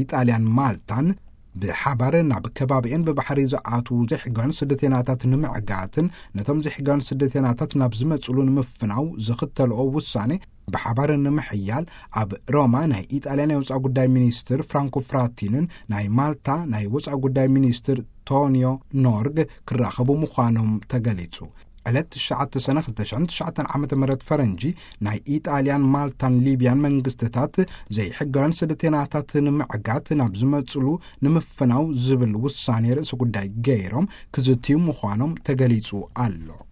ኢጣልያን ማልታን ብሓባር ናብ ከባቢኤን ብባሕሪ ዝኣትዉ ዘይሕጋውያን ስደተናታት ንምዕጋትን ነቶም ዘይሕጋውያን ስደተናታት ናብ ዝመጽሉ ንምፍናው ዝኽተልኦ ውሳኔ ብሓባር ንምሕያል ኣብ ሮማ ናይ ኢጣልያ ናይ ወጻኢ ጉዳይ ሚኒስትር ፍራንኮ ፍራቲንን ናይ ማልታ ናይ ወጻኢ ጉዳይ ሚኒስትር ቶኒዮ ኖርግ ክራኸቡ ምዃኖም ተገሊጹ። ዕለት ትሽዓተ ሰነ ክልተ ሽሕን ትሽዓተን ዓመተ ምህረት ፈረንጂ ናይ ኢጣልያን ማልታን ሊብያን መንግስትታት ዘይሕጋውያን ስደተናታት ንምዕጋት ናብ ዝመጽሉ ንምፍናው ዝብል ውሳኔ ርእሲ ጉዳይ ገይሮም ክዝትዩ ምዃኖም ተገሊጹ ኣሎ።